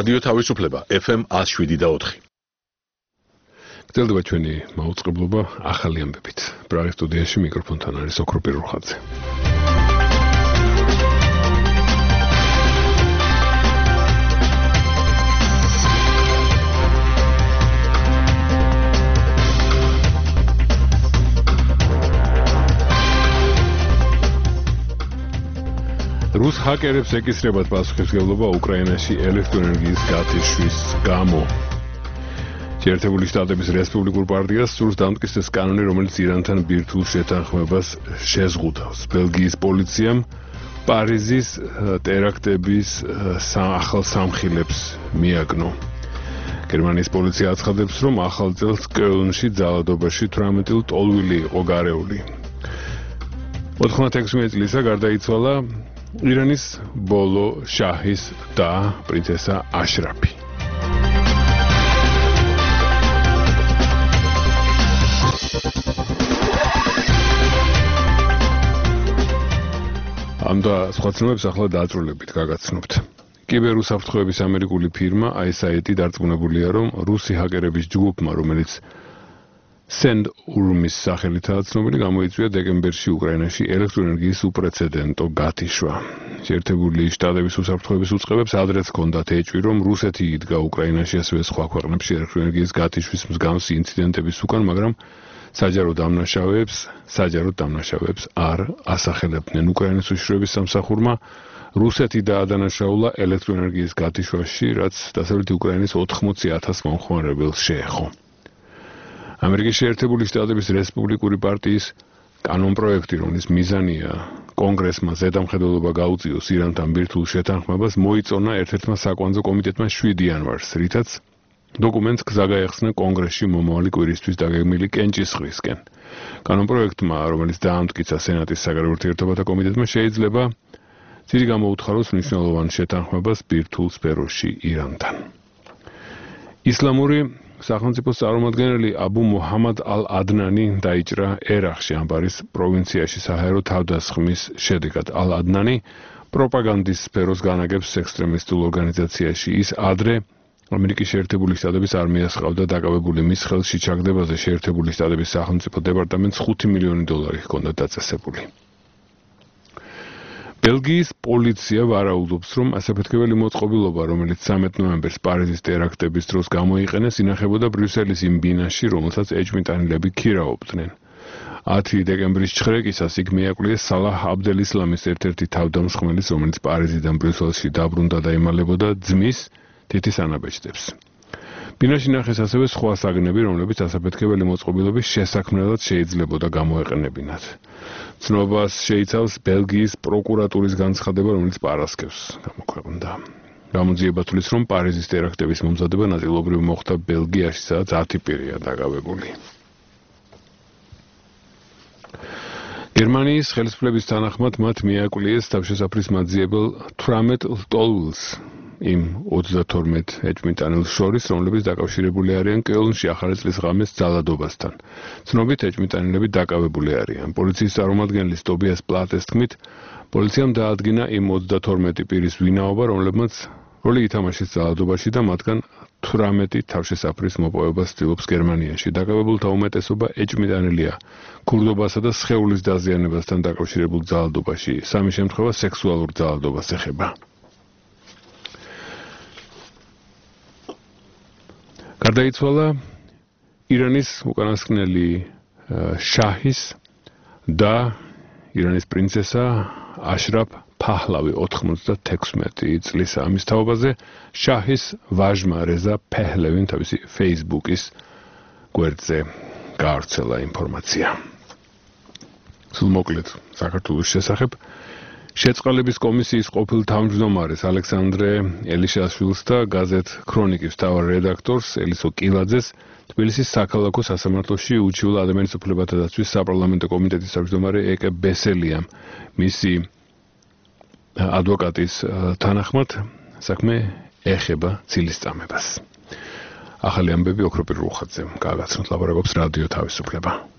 რადიო თავისუფლება FM 107.4. გრძელდება ჩვენი მაუწყებლობა ახალი ამბებით. პრაღის სტუდიაში მიკროფონთან არის ოქროპი რუხაძე. რუს ჰაკერებს ეკისრებათ პასუხისმგებლობა უკრაინაში ელექტროენერგიის გათიშვის გამო. შეერთებული შტატების რესპუბლიკურ პარტიას სურს დამტკიცდეს კანონი, რომელიც ირანთან ბირთვულ შეთანხმებას შეზღუდავს. ბელგიის პოლიციამ პარიზის ტერაქტების ახალ სამხილებს მიაგნო. გერმანიის პოლიცია აცხადებს, რომ ახალ წელს კელნში ძალადობაში 18 ტოლვილი იყო გარეული. 96 წლისა გარდაიცვალა ირანის ბოლო შაჰის და პრინცესა აშრაფი. ამ და სხვა ცნობებს ახლა დააწრულებით გაგაცნობთ. კიბერუსაფრთხოების ამერიკული ფირმა ISIT დარწმუნებულია, რომ რუსი ჰაკერების ჯგუფმა, რომელიც SendUrm-ის სახელითაა ცნობილი, გამოიწვია დეკემბერში უკრაინაში ელექტროენერგიის უპრეცედენტო გათიშვა. შეერთებული შტატების უსაფრთხოების უწყებებს ადრეც ჰქონდათ ეჭვი, რომ რუსეთი იდგა უკრაინაში, ასევე სხვა ქვეყნებში ელექტროენერგიის გათიშვის მსგავსი ინციდენტების უკან, მაგრამ საჯარო დამნაშავეებს არ ასახელებდნენ. უკრაინის უშიშროების სამსახურმა რუსეთი დაადანაშაულა ელექტროენერგიის გათიშვაში, რაც დასავლეთი უკრაინის 80,000 მომხმარებელს შეეხო. ამერიკის შეერთებული შტატების რესპუბლიკური პარტიის კანონპროექტი, რომლის მიზანია კონგრესმა ზედამხედველობა გაუწიოს ირანთან ბირთვულ შეთანხმებას, მოიწონა ერთ-ერთმა საკვანძო კომიტეტმა 7 იანვარს, რითაც დოკუმენტს გზა გაეხსნა კონგრესში მომავალი კვირისთვის დაგეგმილი კენჭისყრისკენ. კანონპროექტმა, რომელიც დაამტკიცა სენატის საგარეო ურთიერთობათა კომიტეტმა, შეიძლება ძირი გამოუთხაროს მნიშვნელოვან შეთანხმებას ბირთვულ სფეროში ირანთან. ისლამური სახელმწიფოს წარმომადგენელი აბუ მუჰამად ალ-ადნანი დაიჭრა ერაყში, ამბარის პროვინციაში საჰაერო თავდასხმის შედეგად. ალ-ადნანი პროპაგანდის სფეროს განაგებს ექსტრემისტულ ორგანიზაციაში. ის ადრე ამერიკის შეერთებული შტატების არმიას ჰყავდა დაკავებული. მის ხელში ჩაგდებაზე შეერთებული შტატების სახელმწიფო დეპარტამენტს $5 მილიონი ჰქონდა დაწესებული. ბელგიის პოლიცია ვარაუდობს, რომ ასაფეთქებელი მოწყობილობა, რომელიც 13 ნოემბერს პარიზის ტერაქტების დროს გამოიყენეს, ინახებოდა ბრიუსელის იმ ბინაში, რომელსაც ეჭვმიტანილები ქირაობდნენ. 10 დეკემბრის ჩხრეკისას იქ მიაკვლიეს სალაჰ აბდელ-ისლამის ერთ-ერთი თავდამსხმელის, რომელიც პარიზიდან ბრიუსელში დაბრუნდა და იმალებოდა ძმის თითის ანაბეჭდებს. ბინაში ნახეს ასევე სხვა საგნები, რომლებიც ასაფეთქებელი მოწყობილობის შესაქმნელად შეიძლებოდა გამოეყენებინათ. ცნობას შეიცავს ბელგიის პროკურატურის განცხადება, რომელიც პარასკევს გამოქვეყნდა. გამოძიება თვლის, რომ პარიზის ტერაქტების მომზადება ნაწილობრივ მოხდა ბელგიაში, სადაც 10 პირია დაკავებული. გერმანიის ხელისუფლების თანახმად მათ მიაკვლიეს თავშესაფრის მაძიებელ 18 ლტოლვილს იმ 32 ეჭვმიტანილს შორის, რომლებიც დაკავშირებული არიან კელნში ახალი წლის ღამეს ძალადობასთან. ცნობით ეჭვმიტანილები დაკავებული არიან. პოლიციის წარმომადგენლის ტობიას პლატეს თქმით, პოლიციამ დაადგინა იმ 32 პირის ვინაობა, რომლებმაც როლი ითამაშეს ძალადობაში და მათგან 18 თავშესაფრის მოპოვებას ცდილობს გერმანიაში. დაკავებულთა უმეტესობა ეჭვმიტანილია ქურდობასა და სხეულის დაზიანებასთან დაკავშირებულ ძალადობაში. სამი შემთხვევა სექსუალურ ძალადობას ეხება. გარდაიცვალა ირანის უკანასკნელი შაჰის და ირანის პრინცესა აშრაფ ფაჰლავი 96 წლისა. ამის თაობაზე შაჰის ვაჟმა რეზა ფეჰლევიმ თავისი Facebook-ის გვერდზე გაავრცელა ინფორმაცია. სულ მოკლედ საქართველოს შესახებ შეწყალების კომისიის ყოფილ თავმჯდომარეს ალექსანდრე ელიშაშვილს და გაზეთ ქრონიკის მთავარ რედაქტორს ელისო კილაძეს თბილისის საქალაქო სასამართლოში უჩიულა ადამიანის უფლებათა დაცვის საპარლამენტო კომიტეტის თავმჯდომარე ეკე ბესელიამ. მისი ადვოკატის თანახმად საქმე ეხება ცილისწამებას. ახალი ამბები ოქროპი რუხაძემ გააგაცნოთ, ლაპარაკობს რადიო თავისუფლება.